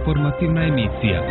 informativna emisija.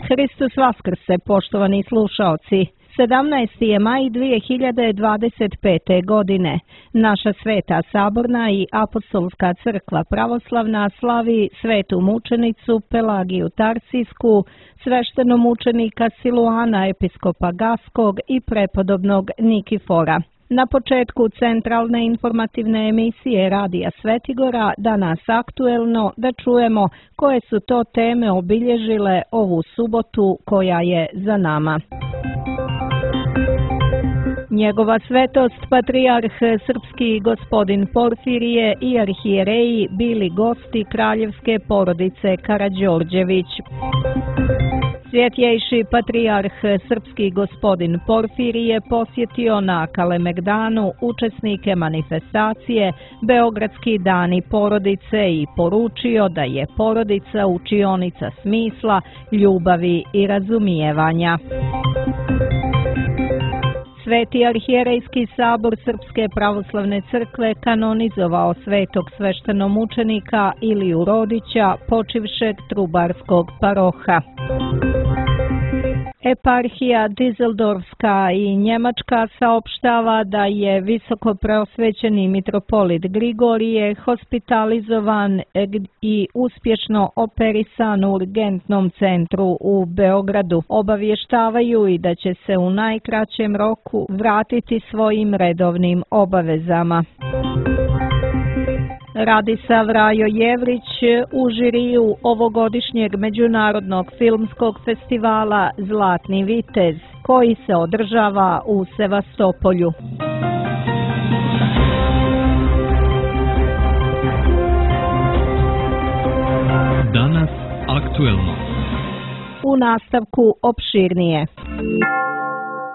Hristos Vaskrse, poštovani slušaoci. 17. je maj 2025. godine. Naša Sveta Saborna i Apostolska crkva pravoslavna slavi svetu mučenicu Pelagiju Tarsijsku, sveštenomučenika Siluana, episkopa Gaskog i prepodobnog Nikifora. Na početku centralne informativne emisije Radija Svetigora, danas aktuelno, da čujemo koje su to teme obilježile ovu subotu koja je za nama. Njegova svetost, patrijarh srpski gospodin Porfirije i arhijereji bili gosti kraljevske porodice Karađorđević. Svjetjejši patrijarh srpski gospodin Porfirije posjetio na Kalemegdanu učesnike manifestacije Beogradski dani porodice i poručio da je porodica učionica smisla, ljubavi i razumijevanja. Sveti arhijerejski sabor Srpske pravoslavne crkve kanonizovao svetog sveštenomučenika Iliju Rodića, počivšeg trubarskog paroha. Eparhija Dizeldorfska i Njemačka saopštava da je visokopreosvećeni mitropolit Grigorije hospitalizovan i uspješno operisan u urgentnom centru u Beogradu. Obavještavaju i da će se u najkraćem roku vratiti svojim redovnim obavezama. Radisav Rajo Jevrić u žiriju ovogodišnjeg Međunarodnog filmskog festivala Zlatni vitez, koji se održava u Sevastopolju. Danas aktuelno. U nastavku opširnije.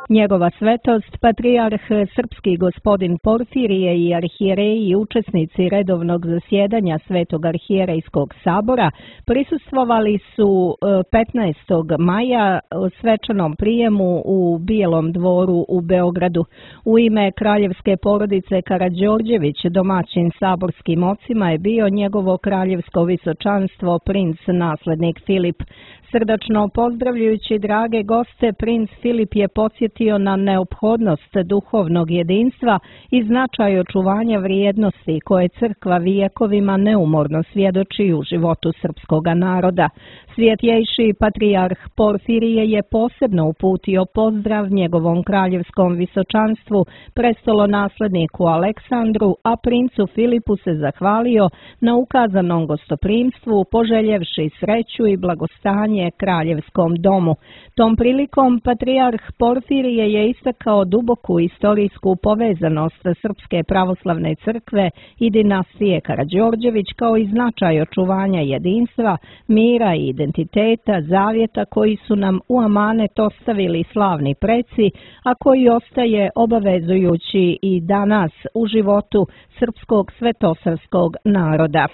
Njegova svetost, patrijarh srpski gospodin Porfirije i arhijereji i učesnici redovnog zasjedanja Svetog arhijerejskog sabora prisustvovali su 15. maja svečanom prijemu u Bijelom dvoru u Beogradu. U ime kraljevske porodice Karađorđević domaćin saborskim ocima je bio njegovo kraljevsko visočanstvo princ naslednik Filip. Srdačno pozdravljajući drage goste, princ Filip je podsjetio na neophodnost duhovnog jedinstva i značaj očuvanja vrijednosti koje crkva vijekovima neumorno svjedoči u životu srpskoga naroda. Svjetjejši patrijarh Porfirije je posebno uputio pozdrav njegovom kraljevskom visočanstvu, prestolonasledniku Aleksandru, a princu Filipu se zahvalio na ukazanom gostoprimstvu, poželjevši sreću i blagostanje kraljevskom domu. Tom prilikom patrijarh Porfirije je istakao duboku istorijsku povezanost Srpske pravoslavne crkve i dinastije Karađorđević kao i značaj očuvanja jedinstva, mira i identiteta, zavjeta koji su nam u amanet ostavili slavni preci, a koji ostaje obavezujući i danas u životu srpskog svetosavskog naroda.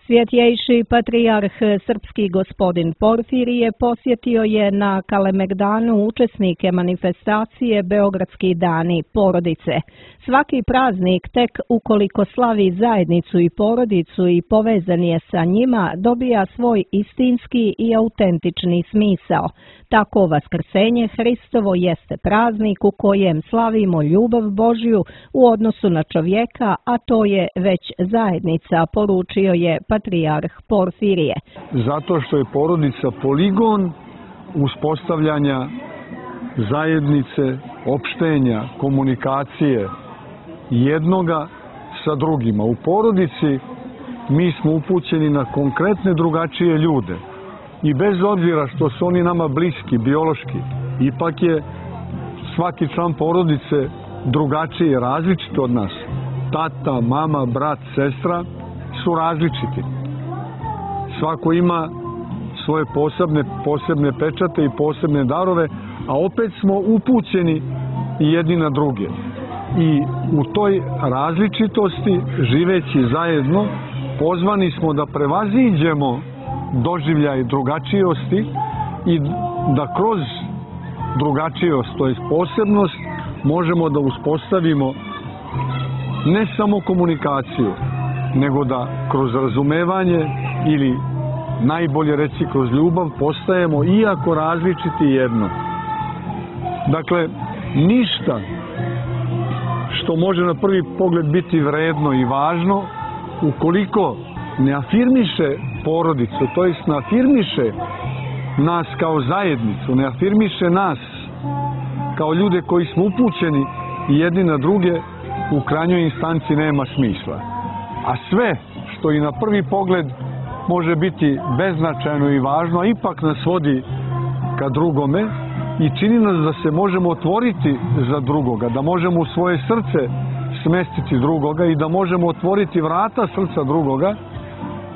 Svjetjejši patrijarh srpski gospodin Porfirije posjetio je na Kalemegdanu učesnike manifestacije Beogradski dani porodice. Svaki praznik, tek ukoliko slavi zajednicu i porodicu i povezan je sa njima, dobija svoj istinski i autentični smisao. Tako vaskrsenje Hristovo jeste praznik u kojem slavimo ljubav Božju u odnosu na čovjeka, a to je već zajednica, poručio je patrijarh Porfirije. Zato što je porodica poligon uspostavljanja zajednice, opštenja, komunikacije jednoga sa drugima. U porodici mi smo upućeni na konkretne drugačije ljude. I bez obzira što su oni nama bliski, biološki, ipak je svaki član porodice drugačiji, različit od nas. Tata, mama, brat, sestra su različiti. Svako ima svoje posebne pečate i posebne darove, a opet smo upućeni jedni na druge. I u toj različitosti, živeći zajedno, pozvani smo da prevaziđemo doživljaj drugačijosti i da kroz drugačijost, to je posebnost, možemo da uspostavimo ne samo komunikaciju, nego da kroz razumevanje ili najbolje reći kroz ljubav, postajemo iako različiti jedno. Dakle, ništa što može na prvi pogled biti vredno i važno, ukoliko ne afirmiše porodicu, to jest ne afirmiše nas kao zajednicu, ne afirmiše nas kao ljude koji smo upućeni jedni na druge, u krajnjoj instanci nema smisla. A sve što i na prvi pogled može biti beznačajno i važno, a ipak nas vodi ka drugome i čini nas da se možemo otvoriti za drugoga, da možemo u svoje srce smestiti drugoga i da možemo otvoriti vrata srca drugoga,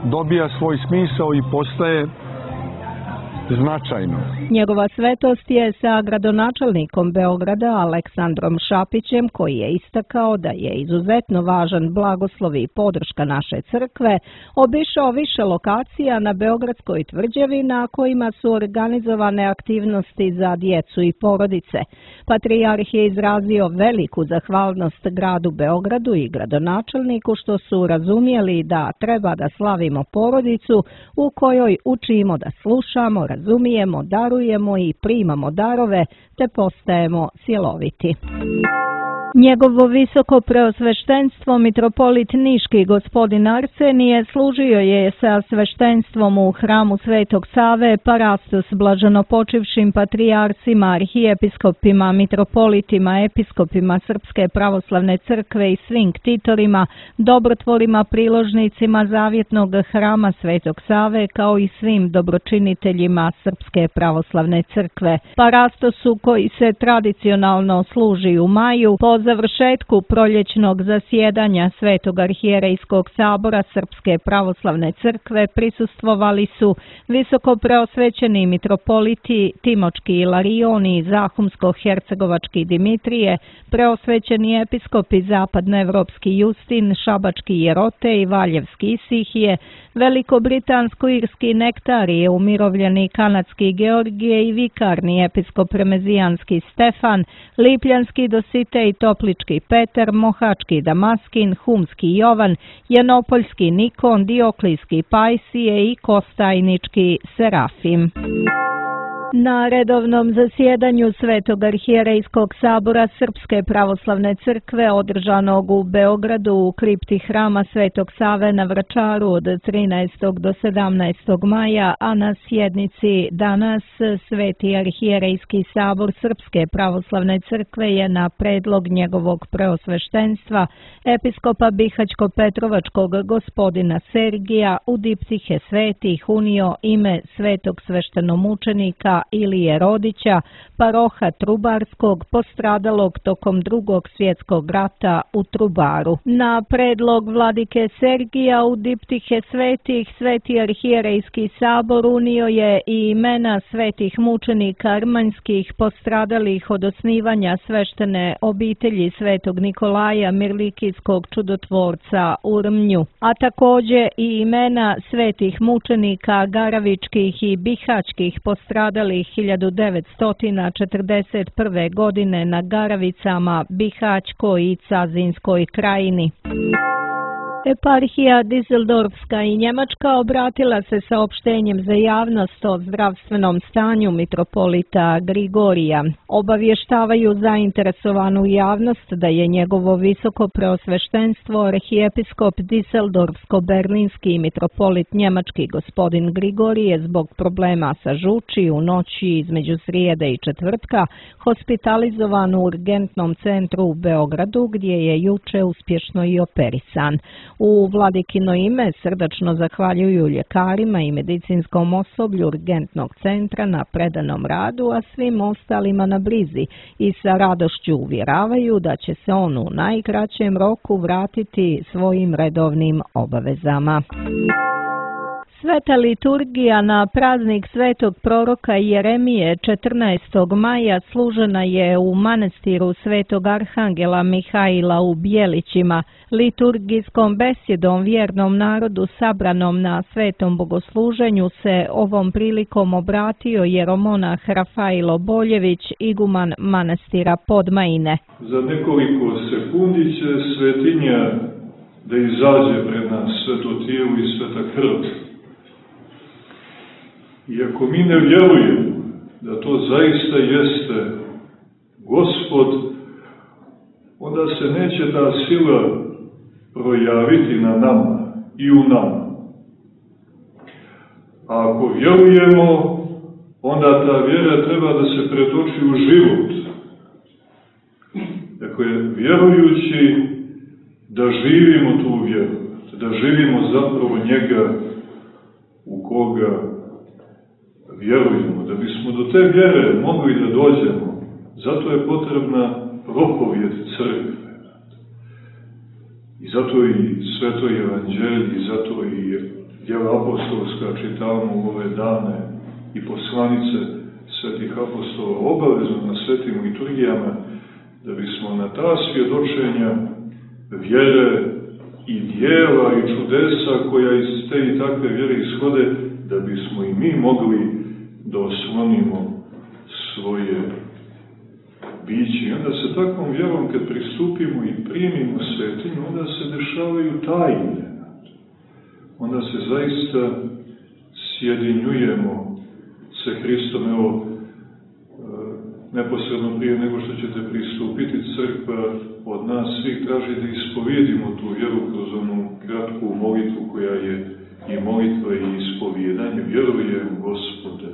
dobija svoj smisao i postaje značajno. Njegova svetost je sa gradonačelnikom Beograda Aleksandrom Šapićem, koji je istakao da je izuzetno važan blagoslov i podrška naše crkve, obišao više lokacija na Beogradskoj tvrđavi na kojima su organizovane aktivnosti za djecu i porodice. Patrijarh je izrazio veliku zahvalnost gradu Beogradu i gradonačelniku što su razumjeli da treba da slavimo porodicu u kojoj učimo da slušamo, razumijemo, darujemo i primamo darove, te postajemo cjeloviti. Njegovo visoko preosveštenstvo mitropolit Niški gospodin Arsenije služio je sa sveštenstvom u hramu Svetog Save Parastos blaženopočivšim patrijarcima, arhijepiskopima, mitropolitima, episkopima Srpske pravoslavne crkve i svim ktitolima, dobrotvorima, priložnicima Zavjetnog hrama Svetog Save, kao i svim dobročiniteljima Srpske pravoslavne crkve. Parastosu koji se tradicionalno služi u maju, po završetku proljećnog zasjedanja Svetog arhijerejskog sabora Srpske pravoslavne crkve prisustvovali su visoko preosvećeni mitropoliti Timočki Ilarion i Zahumsko-hercegovački Dimitrije, preosvećeni episkopi Zapadnoevropski Justin, Šabački Jerote i Valjevski Isihije, Velikobritánsko-irski Nektarije, umirovljeni kanadski Georgije i vikarni episkop Remezijanski Stefan, Lipljanski Dositej, Toplički Petar, Mohački Damaskin, Humski Jovan, Janopoljski Nikon, Dioklijski Pajsije i Kostajnički Serafim. Na redovnom zasjedanju Svetog arhijerejskog sabora Srpske pravoslavne crkve održanog u Beogradu u kripti hrama Svetog Save na Vračaru od 13. do 17. maja, a na sjednici danas Sveti arhijerejski sabor Srpske pravoslavne crkve je na predlog njegovog preosveštenstva episkopa Bihaćko-Petrovačkog gospodina Sergija u diptihe svetih unio ime svetog sveštenomučenika Ilije Rodića, paroha Trubarskog, postradalog tokom Drugog svjetskog rata u Trubaru. Na predlog vladike Sergija u diptihe svetih Sveti arhijerejski sabor unio je i imena svetih mučenika armanjskih postradalih od osnivanja sveštene obitelji Svetog Nikolaja Mirlikijskog čudotvorca u Rmnju, a također i imena svetih mučenika garavičkih i bihaćkih postradalih 1941. godine na Garavicama, Bihaćkoj i Cazinskoj krajini. Eparhija Dizeldorfska i Njemačka obratila se saopštenjem za javnost o zdravstvenom stanju mitropolita Grigorija. Obavještavaju zainteresovanu javnost da je njegovo visoko preosveštenstvo arhijepiskop Dizeldorfsko-berlinski mitropolit njemački gospodin Grigorije zbog problema sa žuči u noći između srijede i četvrtka hospitalizovan u urgentnom centru u Beogradu, gdje je juče uspješno i operisan. U vladikino ime srdačno zahvaljuju ljekarima i medicinskom osoblju urgentnog centra na predanom radu, a svim ostalima na brizi i sa radošću uvjeravaju da će se on u najkraćem roku vratiti svojim redovnim obavezama. Sveta liturgija na praznik svetog proroka Jeremije 14. maja služena je u manastiru svetog arhangela Mihaila u Bjelićima. Liturgijskom besjedom vjernom narodu sabranom na svetom bogosluženju se ovom prilikom obratio jeromonah Rafailo Boljević, iguman manastira Podmajine. Za nekoliko sekundi će svetinja da izađe pred nas, sveto tijelo i sveta krv I ako mi ne vjerujemo da to zaista jeste Gospod, onda se neće ta sila projaviti na nama i u nama. A ako vjerujemo, onda ta vjera treba da se pretoči u život. Dakle, vjerujući da živimo tu vjeru, da živimo zapravo njega u koga vjerujemo, da bismo do te vjere mogli da dođemo, zato je potrebna propovijed crkve. I zato i sveto evanđelje, i zato i djela apostolska čitamo u ove dane i poslanice svetih apostola obavezno na svetim liturgijama, da bismo na ta svjedočenja vjere i djela i čudesa koja iz te i takve vjere ishode, da bismo i mi mogli da oslonimo svoje biće. I onda se takvom vjerom, kad pristupimo i primimo svetinju, onda se dešavaju tajne. Onda se zaista sjedinjujemo sa Hristom. Evo, neposredno prije nego što ćete pristupiti, crkva od nas svih traži da ispovijedimo tu vjeru kroz onu kratku molitvu koja je i molitva i ispovijedanje. Vjerujem, Gospode,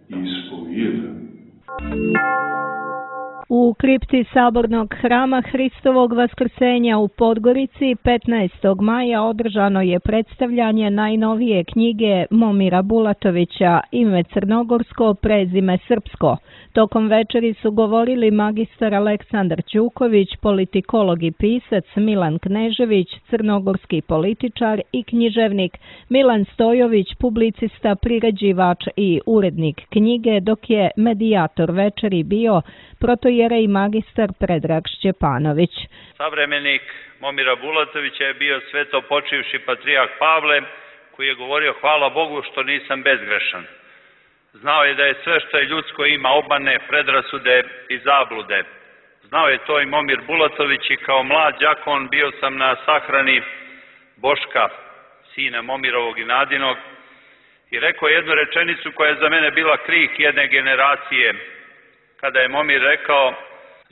i ispovijedam. U kripti Sabornog hrama Hristovog Vaskrsenja u Podgorici 15. maja održano je predstavljanje najnovije knjige Momira Bulatovića Ime crnogorsko, prezime srpsko. Tokom večeri su govorili magistar Aleksandar Ćuković, politikolog i pisac Milan Knežević, crnogorski političar i književnik, Milan Stojović, publicista, priređivač i urednik knjige, dok je medijator večeri bio protojerej magistar Predrag Šćepanović. Savremenik Momira Bulatovića je bio sveto počivši patrijarh Pavle, koji je govorio: hvala Bogu što nisam bezgrešan. Znao je da je sve što je ljudsko ima obmane, predrasude i zablude. Znao je to i Momir Bulatović i kao mlad đakon bio sam na sahrani Boška, sina Momirovog i Nadinog, i rekao jednu rečenicu koja je za mene bila krik jedne generacije, kada je Momir rekao: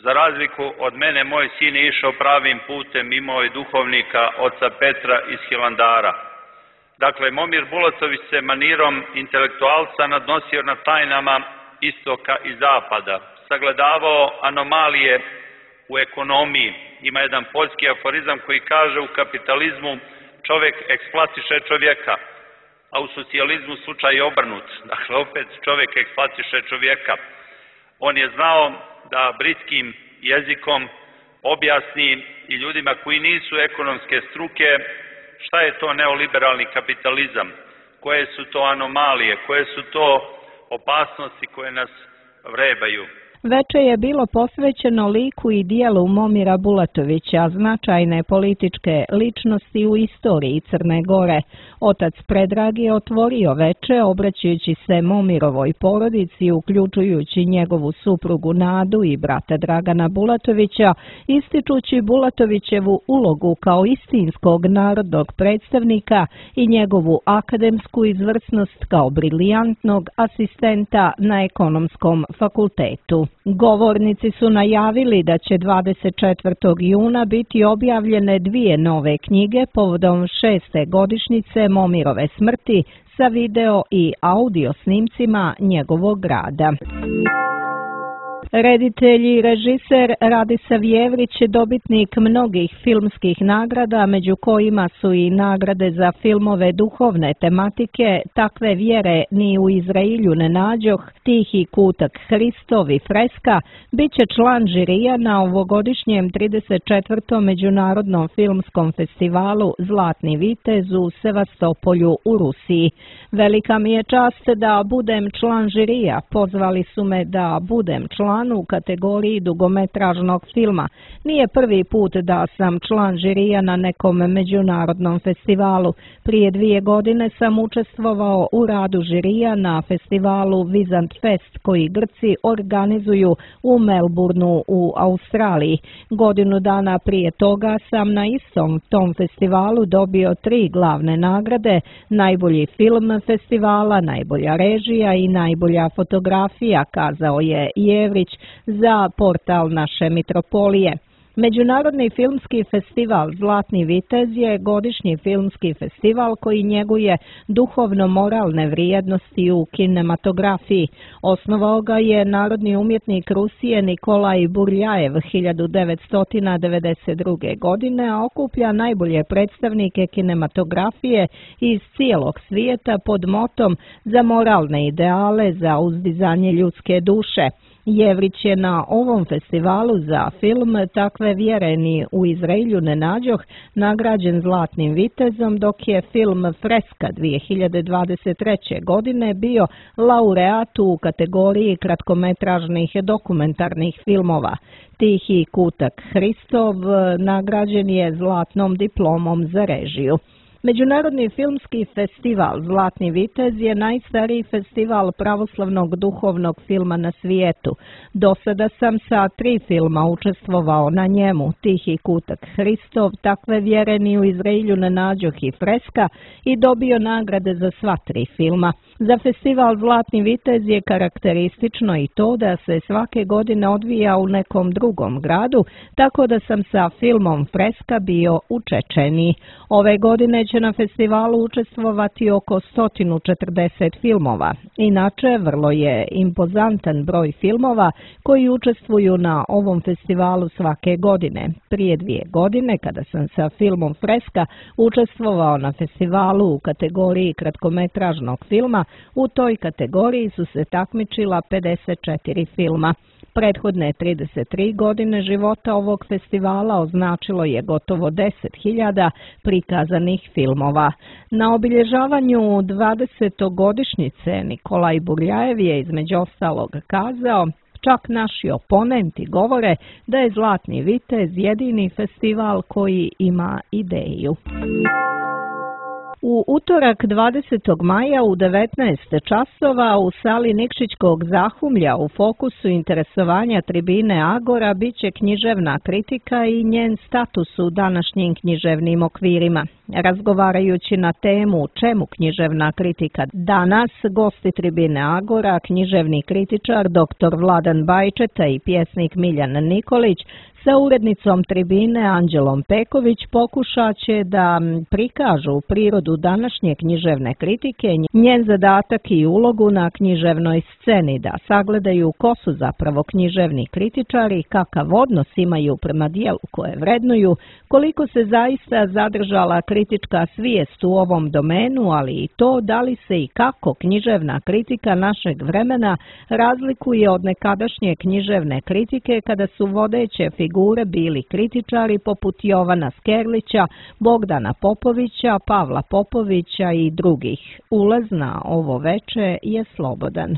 za razliku od mene, moj sin je išao pravim putem, imao je duhovnika oca Petra iz Hilandara. Dakle, Momir Bulatović se manirom intelektualca nadnosio na tajnama istoka i zapada, sagledavao anomalije u ekonomiji. Ima jedan poljski aforizam koji kaže: u kapitalizmu čovjek eksploatiše čovjeka, a u socijalizmu slučaj je obrnut. Dakle, opet čovjek eksploatiše čovjeka. On je znao da britskim jezikom objasni i ljudima koji nisu ekonomske struke šta je to neoliberalni kapitalizam, koje su to anomalije, koje su to opasnosti koje nas vrebaju. Veče je bilo posvećeno liku i dijelu Momira Bulatovića, značajne političke ličnosti u istoriji Crne Gore. Otac Predrag je otvorio veče obraćajući se Momirovoj porodici, uključujući njegovu suprugu Nadu i brata Dragana Bulatovića, ističući Bulatovićevu ulogu kao istinskog narodnog predstavnika i njegovu akademsku izvrsnost kao briljantnog asistenta na ekonomskom fakultetu. Govornici su najavili da će 24. juna biti objavljene 2 nove knjige povodom 6. godišnjice Momirove smrti sa video i audio snimcima njegovog rada. Reditelj i režiser Radiša Vjevrić, dobitnik mnogih filmskih nagrada, među kojima su i nagrade za filmove duhovne tematike Takve vjere ni u Izrailju ne nađoh, Tihi kutak Hristov i Freska, bit će član žirija na ovogodišnjem 34. Međunarodnom filmskom festivalu Zlatni vitez u Sevastopolju u Rusiji. Velika mi je čast da budem član žirija, pozvali su me da budem član član u kategoriji dugometražnog filma. Nije prvi put da sam član žirija na nekom međunarodnom festivalu. Prije 2 godine sam učestvovao u radu žirija na festivalu Vizant Fest koji Grci organizuju u Melbourneu u Australiji. Godinu dana prije toga sam na istom tom festivalu dobio 3 glavne nagrade: najbolji film festivala, najbolja režija i najbolja fotografija, kazao je Jevrić za portal Naše Mitropolije. Međunarodni filmski festival Zlatni vitez je godišnji filmski festival koji njeguje duhovno-moralne vrijednosti u kinematografiji. Osnovao ga je narodni umjetnik Rusije Nikolaj Burljajev 1992. godine, a okuplja najbolje predstavnike kinematografije iz cijelog svijeta pod motom za moralne ideale, za uzdizanje ljudske duše. Jevrić je na ovom festivalu za film Takve vjere ni u Izraelju ne nađoh nagrađen Zlatnim vitezom, dok je film Freska 2023. godine bio laureat u kategoriji kratkometražnih dokumentarnih filmova. Tihi kutak Hristov nagrađen je zlatnom diplomom za režiju. Međunarodni filmski festival Zlatni vitez je najstariji festival pravoslavnog duhovnog filma na svijetu. Do sada sam sa 3 filma učestvovao na njemu: Tihi kutak Hristov, Takve vjere ni u Izraelju ne nađoh i Freska, i dobio nagrade za sva 3 filma. Za festival Zlatni vitez je karakteristično i to da se svake godine odvija u nekom drugom gradu, tako da sam sa filmom Freska bio u Čečeniji. Ove godine će na festivalu učestvovati oko 140 filmova. Inače, vrlo je impozantan broj filmova koji učestvuju na ovom festivalu svake godine. Prije 2 godine, kada sam sa filmom Freska učestvovao na festivalu u kategoriji kratkometražnog filma, u toj kategoriji su se takmičila 54 filma. Prethodne 33 godine života ovog festivala označilo je gotovo 10.000 prikazanih filmova. Na obilježavanju 20. godišnjice Nikolaj Burljajev je između ostalog kazao: čak naši oponenti govore da je Zlatni vitez jedini festival koji ima ideju. U utorak 20. maja u 19 časova u sali Nikšićkog zahumlja u fokusu interesovanja tribine Agora biće književna kritika i njen status u današnjim književnim okvirima. Razgovarajući na temu čemu književna kritika danas, gosti tribine Agora, književni kritičar dr. Vladan Bajčeta i pjesnik Miljan Nikolić sa urednicom tribine Anđelom Peković pokušat će da prikažu prirodu današnje književne kritike, njen zadatak i ulogu na književnoj sceni, da sagledaju ko su zapravo književni kritičari, kakav odnos imaju prema dijelu koje vrednuju, koliko se zaista zadržala kritička svijest u ovom domenu, ali i to da li se i kako književna kritika našeg vremena razlikuje od nekadašnje književne kritike kada su vodeće figure bili kritičari poput Jovana Skerlića, Bogdana Popovića, Pavla Popovića i drugih. Ulaz na ovo veče je slobodan.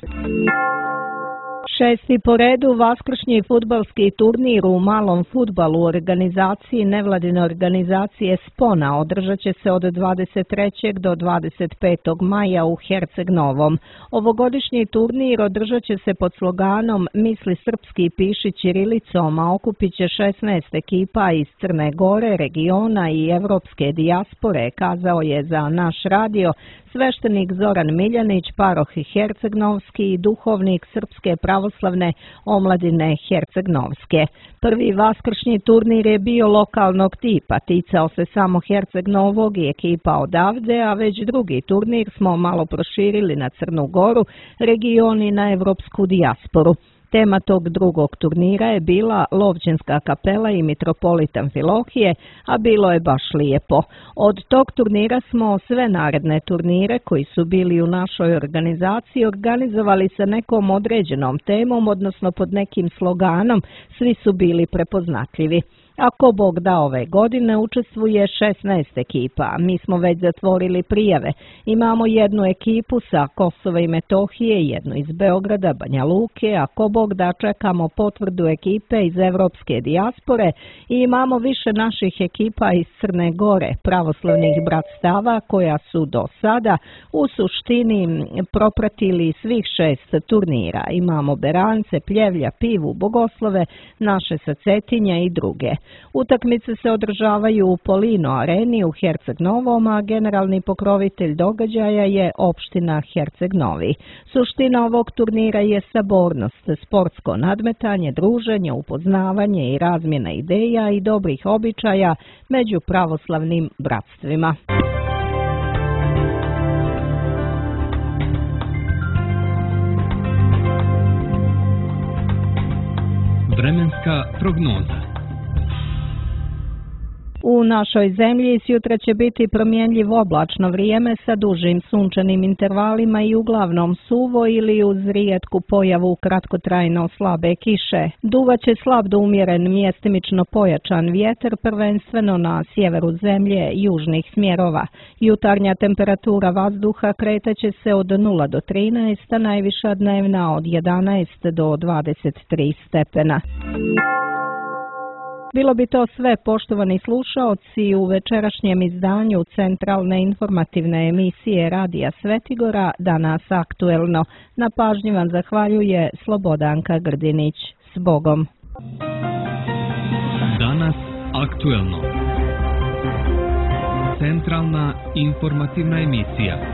6. po redu vaskršnji fudbalski turnir u malom fudbalu u organizaciji nevladine organizacije Spona održat će se od 23. do 25. maja u Herceg Novom. Ovogodišnji turnir održat će se pod sloganom Misli srpski, piši ćirilicom, a okupit će 16 ekipa iz Crne Gore, regiona i evropske dijaspore, kazao je za naš radio sveštenik Zoran Miljanić, paroh Herceg-Novski i duhovnik Srpske pravoslavne omladine Herceg-Novske. Prvi vaskršnji turnir je bio lokalnog tipa, ticao se samo Herceg-Novog i ekipa odavde, a već drugi turnir smo malo proširili na Crnu Goru, region i na evropsku dijasporu. Tema tog drugog turnira je bila Lovćenska kapela i mitropolit Amfilohije, a bilo je baš lijepo. Od tog turnira smo sve naredne turnire koji su bili u našoj organizaciji organizovali sa nekom određenom temom, odnosno pod nekim sloganom, svi su bili prepoznatljivi. Ako Bog da, ove godine učestvuje 16 ekipa. Mi smo već zatvorili prijave. Imamo jednu ekipu sa Kosova i Metohije, jednu iz Beograda, Banja Luke, ako Bog da, čekamo potvrdu ekipe iz evropske dijaspore i imamo više naših ekipa iz Crne Gore, pravoslavnih bratstava koja su do sada u suštini propratili svih 6 turnira. Imamo Berance, Pljevlja, Pivu, Bogoslove, naše sa Cetinja i druge. Utakmice se održavaju u Polino areni u Herceg Novom, a generalni pokrovitelj događaja je opština Herceg Novi. Suština ovog turnira je sabornost, sportsko nadmetanje, druženje, upoznavanje i razmjena ideja i dobrih običaja među pravoslavnim bratstvima. Vremenska prognoza. U našoj zemlji sjutra će biti promjenjivo oblačno vrijeme sa dužim sunčanim intervalima i uglavnom suvo ili uz rijetku pojavu kratkotrajno slabe kiše. Duvaće slab do umjeren mjestimično pojačan vjetar, prvenstveno na sjeveru zemlje južnih smjerova. Jutarnja temperatura vazduha kretaće se od 0 do 13, a najviša dnevna od 11 do 23 stepena. Bilo bi to sve, poštovani slušaoci, u večerašnjem izdanju centralne informativne emisije Radija Svetigora, Danas aktuelno. Na pažnji vam zahvaljuje Slobodanka Grdinić. S Bogom! Danas aktuelno. Centralna informativna emisija.